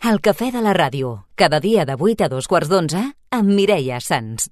El cafè de la ràdio, cada dia de 8 a 2:15, amb Mireia Sans.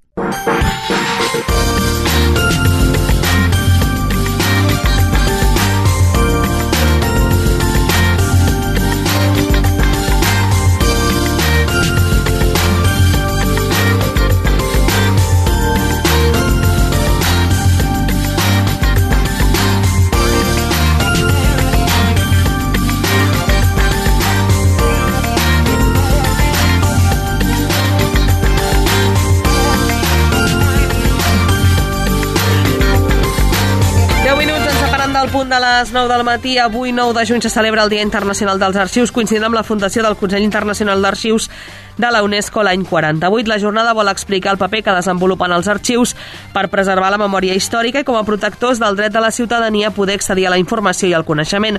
Al punt de les 9 del matí, avui 9 de juny se celebra el Dia Internacional dels Arxius, coincidint amb la fundació del Consell Internacional d'Arxius de la UNESCO l'any 48. La jornada vol explicar el paper que desenvolupen els arxius per preservar la memòria històrica i com a protectors del dret de la ciutadania a poder accedir a la informació i al coneixement.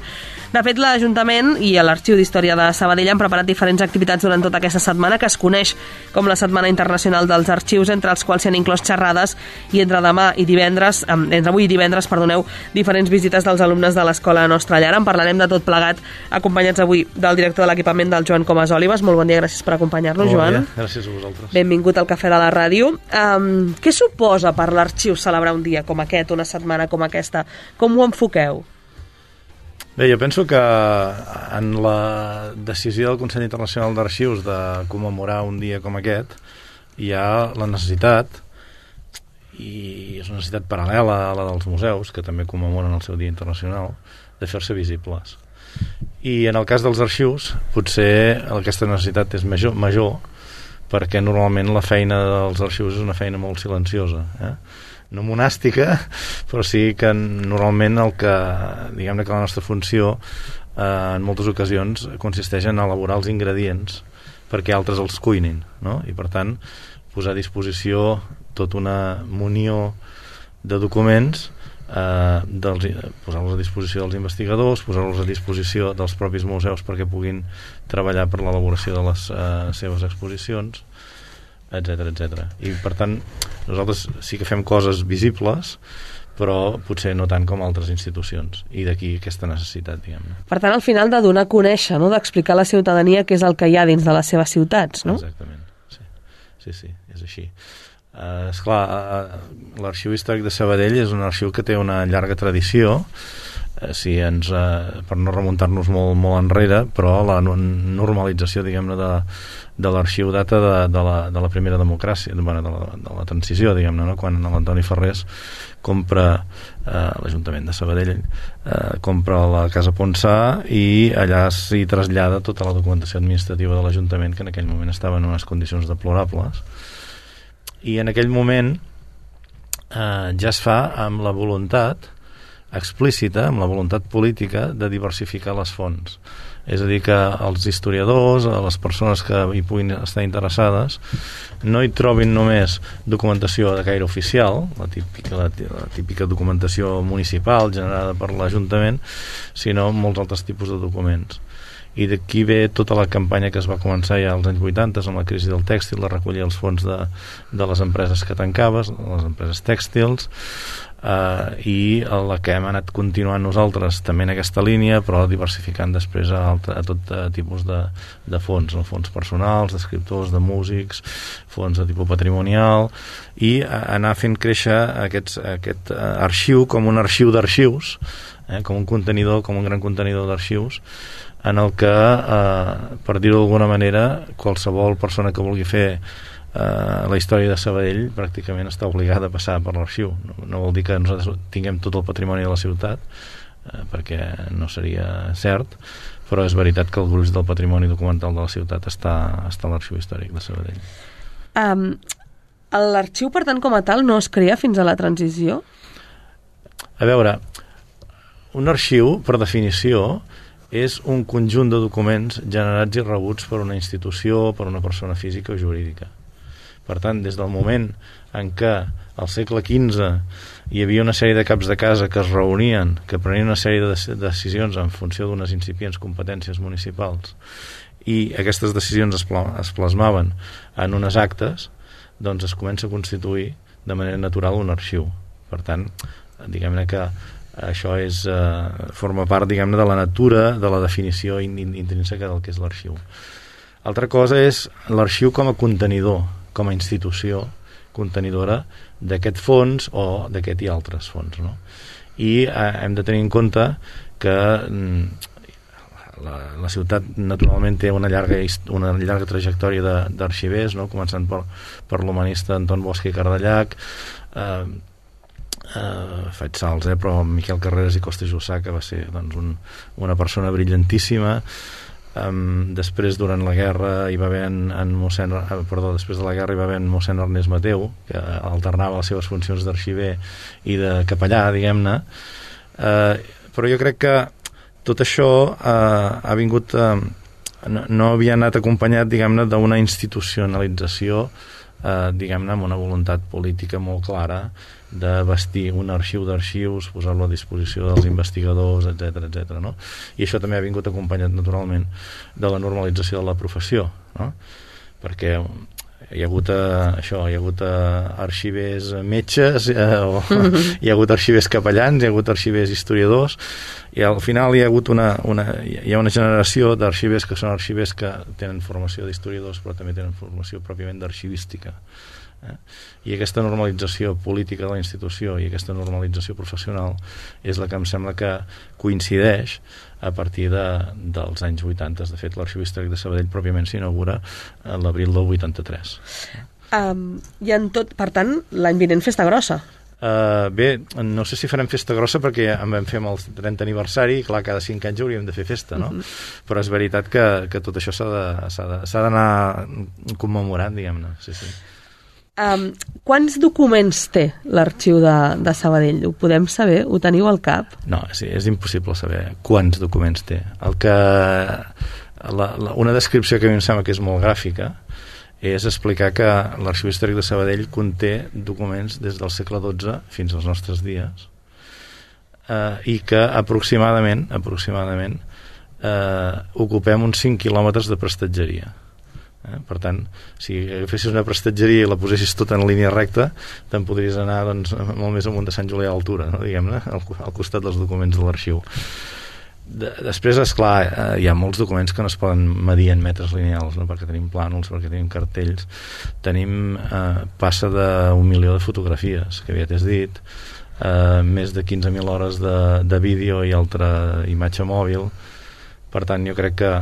De fet, l'Ajuntament i l'Arxiu d'Història de Sabadell han preparat diferents activitats durant tota aquesta setmana que es coneix com la Setmana Internacional dels Arxius, entre els quals s'hi han inclòs xerrades i entre avui i divendres, diferents visites dels alumnes de l'Escola Nostra Llar. En parlarem de tot plegat, acompanyats avui del director de l'equipament, del Joan Comas Olives. Molt bon dia, gràcies per acompanyar-nos, Joan. Gràcies a vosaltres. Benvingut al Cafè de la Ràdio. Què suposa per l'Arxiu celebrar un dia com aquest, una setmana com aquesta? Com ho enfoqueu? Bé, jo penso que en la decisió del Consell Internacional d'Arxius de commemorar un dia com aquest hi ha la necessitat, i és una necessitat paral·lela a la dels museus, que també commemoren el seu Dia Internacional, de fer-se visibles. I en el cas dels arxius potser aquesta necessitat és major perquè normalment la feina dels arxius és una feina molt silenciosa, no monàstica, però sí que normalment diguem-ne que la nostra funció en moltes ocasions consisteix en elaborar els ingredients perquè altres els cuinin, no? I per tant posar a disposició tota una munió de documents, posar-los a disposició dels investigadors, posar-los a disposició dels propis museus perquè puguin treballar per l'elaboració de les seves exposicions, etc. I per tant nosaltres sí que fem coses visibles, però potser no tant com altres institucions, i d'aquí aquesta necessitat, diguem-ne. Per tant, al final de donar a conèixer, no? D'explicar a la ciutadania què és el que hi ha dins de les seves ciutats, no? Exactament, sí, és així. Esclar, l'Arxiu Històric de Sabadell és un arxiu que té una llarga tradició, per no remuntar-nos molt enrere, però la normalització, diguem-ne, de l'arxiu data de la primera democràcia, de la transició, diguem-ne, no? Quan l'Antoni Ferrés compra l'Ajuntament de Sabadell, compra la Casa Ponsà i allà s'hi trasllada tota la documentació administrativa de l'Ajuntament, que en aquell moment estava en unes condicions deplorables. I en aquell moment ja es fa amb la voluntat explícita, amb la voluntat política de diversificar les fonts. És a dir, que els historiadors, les persones que hi puguin estar interessades, no hi trobin només documentació de caire oficial, la típica documentació municipal generada per l'Ajuntament, sinó molts altres tipus de documents. I d'aquí ve tota la campanya que es va començar ja als anys 80 amb la crisi del tèxtil, de recollir els fons de les empreses que tancaves, les empreses tèxtils, i la que hem anat continuant nosaltres també en aquesta línia, però diversificant després a tot tipus de fons, no? Fons personals, d'escriptors, de músics, fons de tipus patrimonial, i anar fent créixer aquest arxiu com un arxiu d'arxius, com un gran contenidor d'arxius, en el que, per dir-ho d'alguna manera, qualsevol persona que vulgui fer la història de Sabadell pràcticament està obligada a passar per l'arxiu. No vol dir que nosaltres tinguem tot el patrimoni de la ciutat, perquè no seria cert, però és veritat que el gruix del patrimoni documental de la ciutat està a l'Arxiu Històric de Sabadell. L'arxiu, per tant, com a tal, no es crea fins a la transició? A veure, un arxiu, per definició, és un conjunt de documents generats i rebuts per una institució, per una persona física o jurídica. Per tant, des del moment en què al segle XV hi havia una sèrie de caps de casa que es reunien, que prenien una sèrie de decisions en funció d'unes incipients competències municipals, i aquestes decisions es plasmaven en unes actes, doncs es comença a constituir de manera natural un arxiu. Per tant, diguem-ne que això forma part, diguem-ne, de la natura, de la definició intrínseca del que és l'arxiu. Altra cosa és l'arxiu com a contenidor, com a institució contenidora d'aquest fons o d'aquest i altres fons, no? I hem de tenir en compte que la ciutat naturalment té una llarga trajectòria d'arxivers, no? Començant per l'humanista Anton Bosch i Cardellac, faig salts, però Miquel Carreras i Costa Jussà, que va ser doncs, una persona brillantíssima. Després, durant la guerra, hi va haver després de la guerra hi va haver mossèn Ernest Mateu, que alternava les seves funcions d'arxiver i de capellà, diguem-ne. Però jo crec que tot això ha vingut no havia anat acompanyat, diguem-ne, d'una institucionalització, diguem-ne, amb una voluntat política molt clara de bastir un arxiu d'arxius, posar-lo a disposició dels investigadors, etc., no? I això també ha vingut acompanyat naturalment de la normalització de la professió, no? Perquè hi ha hagut arxivers metges, hi ha hagut arxivers capellans, hi ha hagut arxivers historiadors, i al final hi ha hagut una generació d'arxivers que són arxivers que tenen formació d'historiadors però també tenen formació pròpiament d'arxivística. I aquesta normalització política de la institució i aquesta normalització professional és la que em sembla que coincideix a partir dels anys 80. De fet, l'Arxiu Històric de Sabadell pròpiament s'inaugura a l'abril del 83. Per tant, l'any vinent festa grossa. Bé, no sé si farem festa grossa perquè en vam fer amb el 30 aniversari i clar, cada 5 anys hauríem de fer festa, no? Però és veritat que tot això s'ha d'anar commemorant, diguem-ne. Sí. Quants documents té l'arxiu de Sabadell? Ho podem saber? Ho teniu al cap? No, sí, és impossible saber quants documents té. Una descripció que a mi em sembla que és molt gràfica és explicar que l'Arxiu Històric de Sabadell conté documents des del segle XII fins als nostres dies i que aproximadament ocupem uns 5 quilòmetres de prestatgeria. Per tant, si agafessis una prestatgeria i la posessis tota en línia recta, te'n podries anar doncs, molt més amunt de Sant Julià d'Altura, no? Diguem-ne, al costat dels documents de l'arxiu. Després, esclar, hi ha molts documents que no es poden medir en metres lineals, no? Perquè tenim plànols, perquè tenim cartells, tenim passa d'1 milió de fotografies, que aviat és dit, més de 15.000 hores de vídeo i altra imatge mòbil. Per tant, jo crec que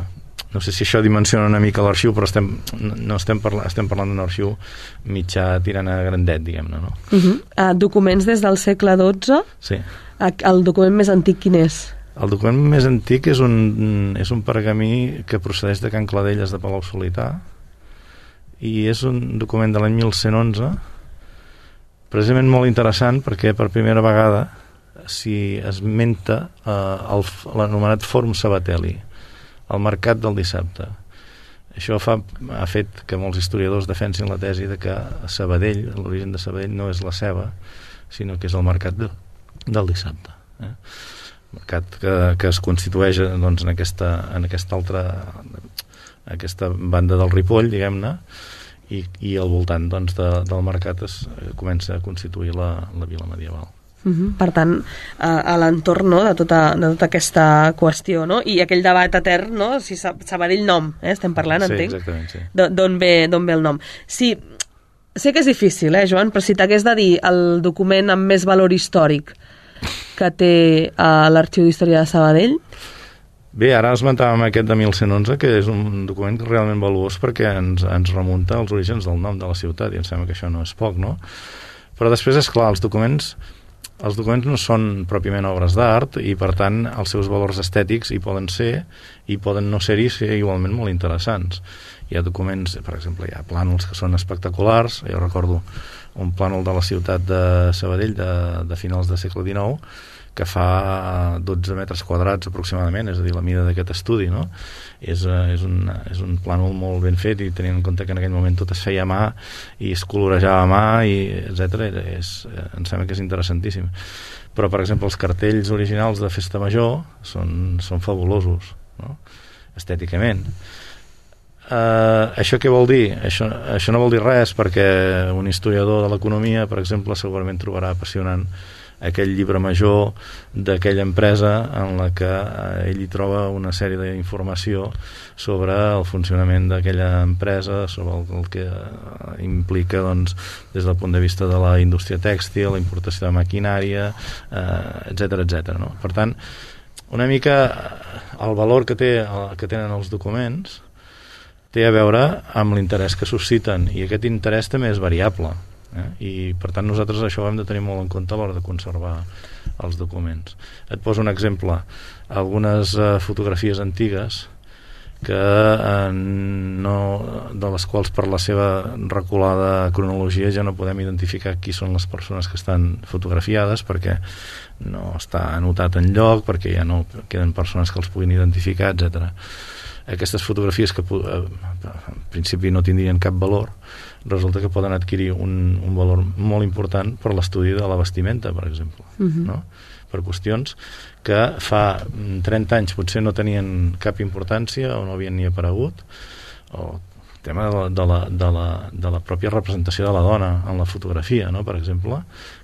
no sé si això dimensiona una mica l'arxiu, però estem parlant d'un arxiu mitjà tirant a grandet, diguem-ne, no? Documents des del segle XII? Sí. El document més antic quin és? El document més antic és un pergamí que procedeix de Can Cladelles de Palau-solità i és un document de l'any 1111 precisament molt interessant perquè per primera vegada s'hi esmenta l'anomenat Fòrum Sabatelli, el mercat del dissabte. Això ha fet que molts historiadors defensin la tesi de que Sabadell, l'origen de Sabadell no és la ceba, sinó que és el mercat del dissabte. Mercat que es constitueix doncs, en aquesta banda del Ripoll, diguem-ne, i al voltant doncs, del mercat es comença a constituir la vila medieval. Per tant, a l'entorn, no, de tota aquesta qüestió, no? I aquell debat etern, no? Si Sabadell nom, estem parlant, entenc? Sí, exactament, sí. D'on ve el nom. Sí, sé que és difícil, Joan, però si t'hagués de dir el document amb més valor històric que té l'Arxiu d'Història de Sabadell? Bé, ara esmentàvem aquest de 1111, que és un document realment valuós perquè ens remunta als orígens del nom de la ciutat, i em sembla que això no és poc, no? Però després, és clar, els documents no són pròpiament obres d'art i, per tant, els seus valors estètics hi poden ser i poden no ser-hi ser igualment molt interessants. Hi ha documents, per exemple, hi ha plànols que són espectaculars. Jo recordo un plànol de la ciutat de Sabadell de finals del segle XIX que fa 12 metres quadrats aproximadament, és a dir, la mida d'aquest estudi, no? És un plànol molt ben fet i tenint en compte que en aquell moment tot es feia a mà i es colorejava a mà, etc. Em sembla que és interessantíssim. Però, per exemple, els cartells originals de Festa Major són fabulosos, no? Estèticament. Això què vol dir? Això no vol dir res, perquè un historiador de l'economia, per exemple, segurament trobarà apassionant aquell llibre major d'aquella empresa en la que ell hi troba una sèrie d'informació sobre el funcionament d'aquella empresa, sobre el que implica doncs, des del punt de vista de la indústria tèxtil, la importació de maquinària, etc. No? Per tant, una mica el valor que tenen els documents té a veure amb l'interès que susciten, i aquest interès també és variable. I per tant nosaltres això ho hem de tenir molt en compte a l'hora de conservar els documents. Et poso un exemple: algunes fotografies antigues que de les quals per la seva reculada cronologia ja no podem identificar qui són les persones que estan fotografiades, perquè no està anotat enlloc, perquè ja no queden persones que els puguin identificar, etc. Aquestes fotografies que en principi no tindrien cap valor, resulta que poden adquirir un valor molt important per l'estudi de la vestimenta, per exemple, no? Per qüestions que fa 30 anys potser no tenien cap importància o no havien ni aparegut, o el tema de la pròpia representació de la dona en la fotografia, no? Per exemple,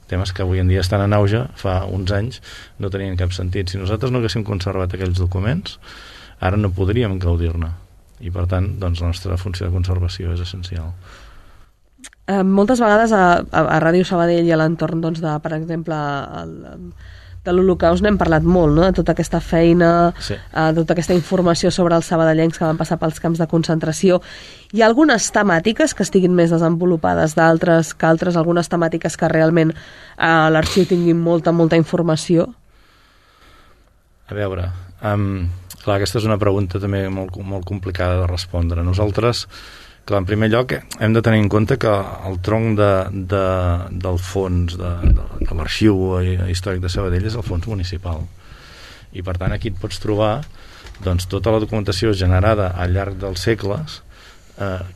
temes que avui en dia estan en auge, fa uns anys no tenien cap sentit. Si nosaltres no haguéssim conservat aquells documents, ara no podríem gaudir-ne, i per tant doncs, la nostra funció de conservació és essencial. Moltes vegades a Ràdio Sabadell i a l'entorn doncs, de, per exemple, de l'Holocaust n'hem parlat molt, no? De tota aquesta feina, sí. De tota aquesta informació sobre els sabadellencs que van passar pels camps de concentració. Hi ha algunes temàtiques que estiguin més desenvolupades d'altres que altres, algunes temàtiques que realment a l'arxiu tinguin molta informació? A veure, clar, aquesta és una pregunta també molt complicada de respondre. Nosaltres, clar, en primer lloc hem de tenir en compte que el tronc del fons de l'arxiu històric de Sabadell és el fons municipal, i per tant aquí et pots trobar doncs, tota la documentació generada al llarg dels segles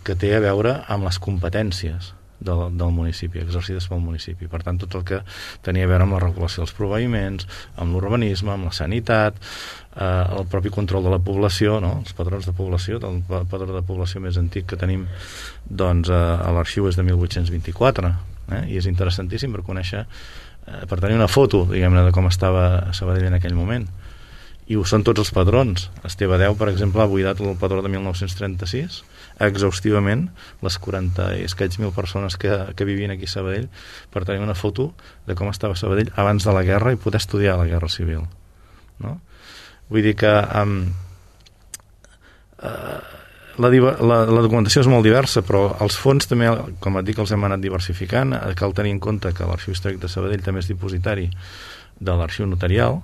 que té a veure amb les competències del municipi, exercides pel municipi. Per tant, tot el que tenia a veure amb la regulació dels proveïments, amb l'urbanisme, amb la sanitat, el propi control de la població, no? Els padrons de població, el padró de població més antic que tenim doncs, a l'arxiu és de 1824, i és interessantíssim per conèixer, per tenir una foto, diguem-ne, de com estava Sabadell en aquell moment. I ho són tots els padrons. Esteve Deu, per exemple, ha buidat el padró de 1936 exhaustivament les 40 i escaig mil persones que vivien aquí a Sabadell, per tenir una foto de com estava Sabadell abans de la guerra i poder estudiar la guerra civil, no? Vull dir que la documentació és molt diversa, però els fons també, com et dic, els hem anat diversificant. Cal tenir en compte que l'Arxiu Històric de Sabadell també és dipositari de l'Arxiu Notarial.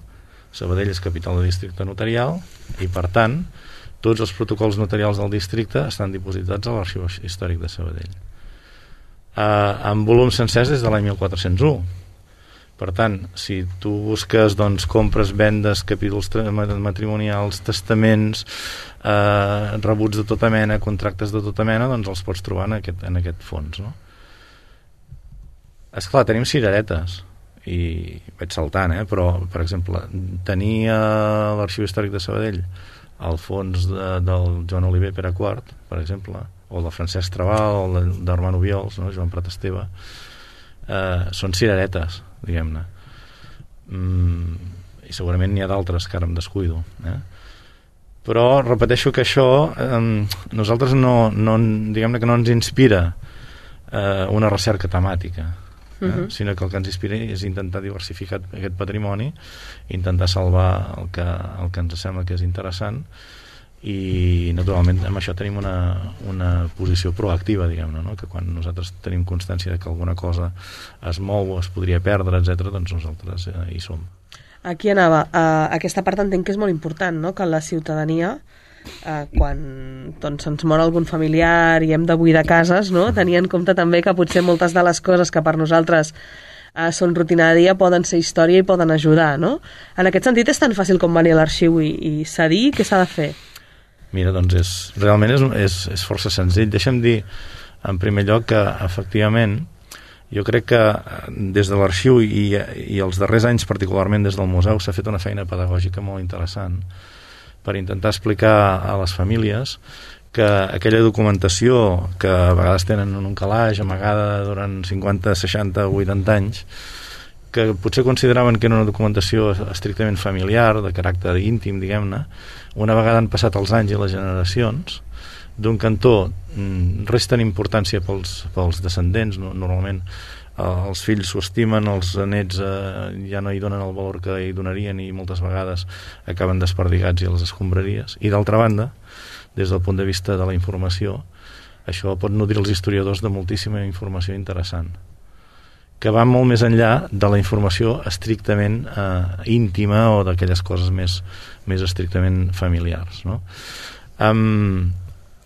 Sabadell és capital de districte notarial i, per tant, tots els protocols notarials del districte estan dipositats a l'Arxiu Històric de Sabadell. En volums sencers des de l'any 1401. Per tant, si tu busques doncs, compres, vendes, capítols matrimonials, testaments, rebuts de tota mena, contractes de tota mena, doncs els pots trobar en aquest fons, no? Esclar, tenim cireretes, i vaig saltant, però, per exemple, tenir a l'Arxiu Històric de Sabadell el fons del Joan Oliver Pere IV, per exemple, o el de Francesc Trabal, o el d'Armand Obiols, no? Joan Prat Esteve, són cireretes, diguem-ne. I segurament n'hi ha d'altres que ara em descuido. Però repeteixo que això nosaltres diguem-ne que no ens inspira una recerca temàtica, sinó que el que ens inspira és intentar diversificar aquest patrimoni, intentar salvar el que ens sembla que és interessant, i naturalment amb això tenim una posició proactiva, diguem-ne, no? Que quan nosaltres tenim constància de que alguna cosa es mou o es podria perdre, etc., doncs nosaltres hi som. Aquí anava. Aquesta part entenc que és molt important, no? Que la ciutadania, quan doncs, ens mor algun familiar i hem de buidar cases, no? Tenir en compte també que potser moltes de les coses que per nosaltres són rutina de dia poden ser història i poden ajudar, no? En aquest sentit és tan fàcil com venir a l'arxiu i cedir? Què s'ha de fer? Mira, doncs realment és força senzill. Deixa'm dir en primer lloc que efectivament jo crec que des de l'arxiu i els darrers anys particularment des del museu s'ha fet una feina pedagògica molt interessant per intentar explicar a les famílies que aquella documentació que a vegades tenen en un calaix amagada durant 50, 60, 80 anys, que potser consideraven que era una documentació estrictament familiar, de caràcter íntim, diguem-ne, una vegada han passat els anys i les generacions, d'un cantó resten importància pels descendents, normalment els fills s'ho estimen, els nets ja no hi donen el valor que hi donarien i moltes vegades acaben desperdigats i a les escombraries. I d'altra banda, des del punt de vista de la informació, això pot nodrir els historiadors de moltíssima informació interessant, que va molt més enllà de la informació estrictament íntima o d'aquelles coses més estrictament familiars, no?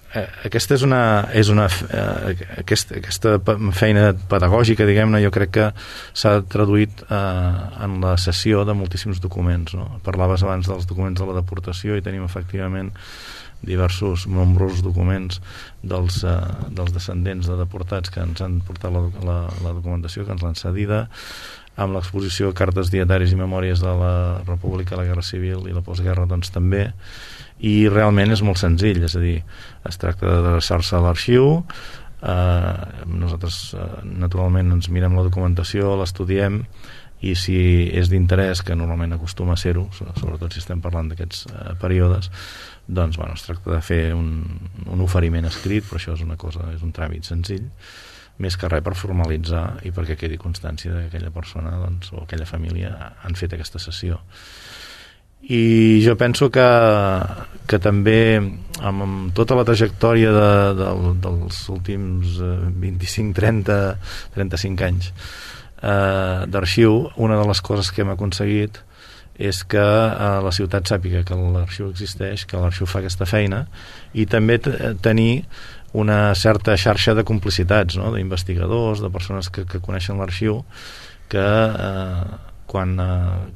Aquesta aquesta feina pedagògica, diguem-ne, jo crec que s'ha traduït en la cessió de moltíssims documents, no? Parlaves abans dels documents de la deportació i tenim efectivament nombrosos documents dels descendents de deportats que ens han portat la documentació, que ens l'han cedida, amb l'exposició de cartes, dietaris i memòries de la República, la Guerra Civil i la postguerra, doncs també, i realment és molt senzill, és a dir, es tracta d'adreçar-se a l'arxiu, nosaltres naturalment ens mirem la documentació, l'estudiem, i si és d'interès, que normalment acostuma a ser-ho, sobretot si estem parlant d'aquests períodes, doncs es tracta de fer un oferiment escrit, però això és és un tràmit senzill, més que res per formalitzar i perquè quedi constància que aquella persona o aquella família han fet aquesta sessió. I jo penso que també amb tota la trajectòria dels últims 25, 30, 35 anys d'arxiu, una de les coses que hem aconseguit és que la ciutat sàpiga que l'arxiu existeix, que l'arxiu fa aquesta feina, i també tenir una certa xarxa de complicitats, no? D'investigadors, de persones que coneixen l'arxiu, que quan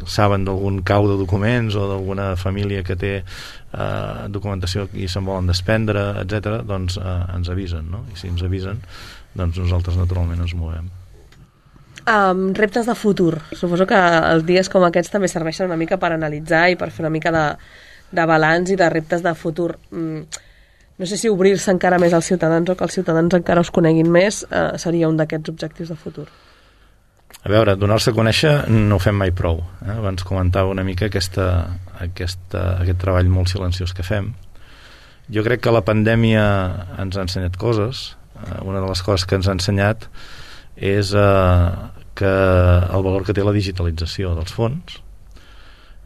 saben d'algun cau de documents o d'alguna família que té documentació i se'n volen desprendre, etc., doncs ens avisen, no? I si ens avisen, doncs nosaltres naturalment ens movem. Reptes de futur. Suposo que els dies com aquests també serveixen una mica per analitzar i per fer una mica de balanç i de reptes de futur. No sé si obrir-se encara més als ciutadans o que els ciutadans encara us coneguin més seria un d'aquests objectius de futur. A veure, donar-se a conèixer no ho fem mai prou. Abans comentava una mica aquest treball molt silenciós que fem. Jo crec que la pandèmia ens ha ensenyat coses. Una de les coses que ens ha ensenyat és que el valor que té la digitalització dels fons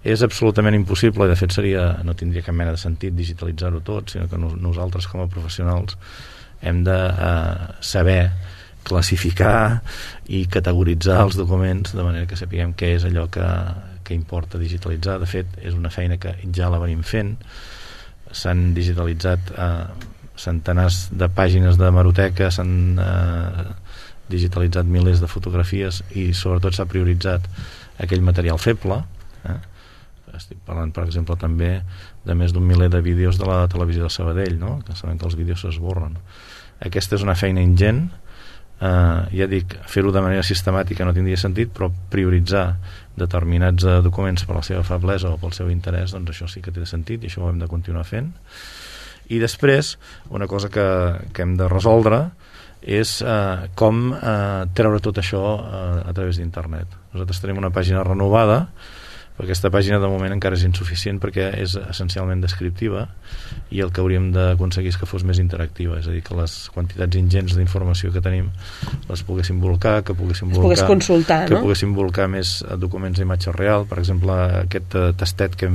és absolutament impossible, i de fet no tindria cap mena de sentit digitalitzar-ho tot, sinó que nosaltres com a professionals hem de saber classificar i categoritzar els documents de manera que sapiguem què és allò que importa digitalitzar. De fet, és una feina que ja la venim fent. S'han digitalitzat centenars de pàgines d'hemeroteca, s'han digitalitzat milers de fotografies i sobretot s'ha prioritzat aquell material feble. Estic parlant, per exemple, també de més d'un miler de vídeos de la televisió de Sabadell, no? Que sabem que els vídeos s'esborren. Aquesta és una feina ingent. Ja dic, fer-ho de manera sistemàtica no tindria sentit, però prioritzar determinats documents per la seva feblesa o pel seu interès, doncs això sí que té sentit i això ho hem de continuar fent. I després, una cosa que hem de resoldre és com treure tot això a través d'internet. Nosaltres tenim una pàgina renovada, però aquesta pàgina de moment encara és insuficient perquè és essencialment descriptiva i el que hauríem d'aconseguir és que fos més interactiva, és a dir, que les quantitats ingents d'informació que tenim les poguéssim volcar, que poguéssim consultar, que poguéssim volcar més documents d'imatge real. Per exemple, aquest tastet que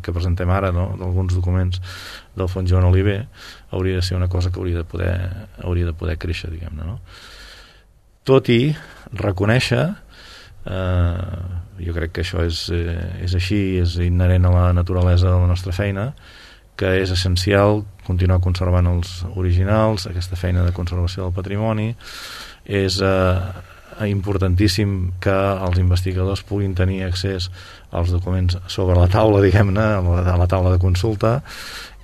presentem ara, no?, d'alguns documents del Fons Joan Oliver, hauria de ser una cosa que hauria de poder créixer, diguem-ne, no? Tot i reconèixer, jo crec que això és així, és inherent a la naturalesa de la nostra feina, que és essencial continuar conservant els originals, aquesta feina de conservació del patrimoni. És importantíssim que els investigadors puguin tenir accés als documents sobre la taula, diguem-ne, a la taula de consulta,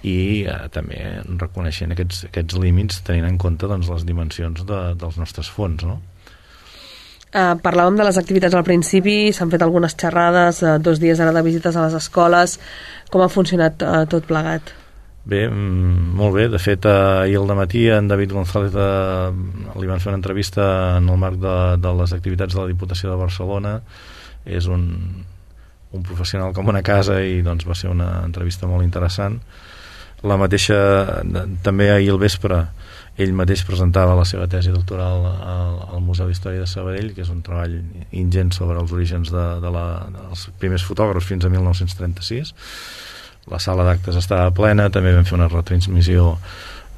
i també reconeixent aquests límits, tenint en compte doncs, les dimensions dels nostres fons, no? Parlàvem de les activitats al principi, s'han fet algunes xerrades, 2 dies ara de visites a les escoles. Com ha funcionat tot plegat? Bé, molt bé. De fet, ahir al dematí en David González li van fer una entrevista en el marc de les activitats de la Diputació de Barcelona. És un professional com una casa i doncs va ser una entrevista molt interessant. La mateixa, també ahir al vespre, ell mateix presentava la seva tesi doctoral al Museu d'Història de Sabadell, que és un treball ingent sobre els orígens dels primers fotògrafs fins a 1936. La sala d'actes estava plena, també vam fer una retransmissió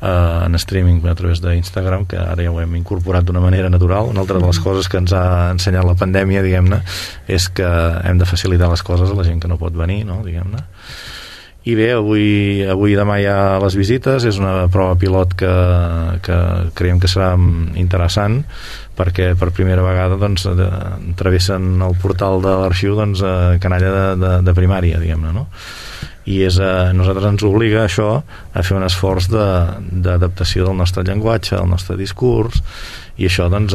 en streaming a través d'Instagram, que ara ja ho hem incorporat d'una manera natural. Una altra de les coses que ens ha ensenyat la pandèmia, diguem-ne, és que hem de facilitar les coses a la gent que no pot venir, no? Diguem-ne. I bé, avui i demà hi ha les visites. És una prova pilot que creiem que serà interessant, perquè per primera vegada doncs, travessen el portal de l'arxiu doncs, canalla de primària, diguem-ne, no? I nosaltres ens obliga això a fer un esforç d'adaptació del nostre llenguatge, del nostre discurs, i això doncs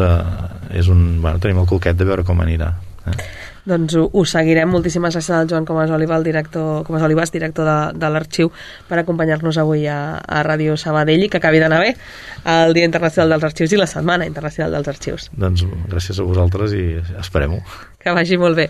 tenim el coquet de veure com anirà. Doncs ho seguirem. Moltíssimes gràcies al Joan Comas Oliva, director de l'arxiu, per acompanyar-nos avui a Ràdio Sabadell, i que acabi d'anar bé el Dia Internacional dels Arxius i la Setmana Internacional dels Arxius. Doncs gràcies a vosaltres i esperem-ho. Que vagi molt bé.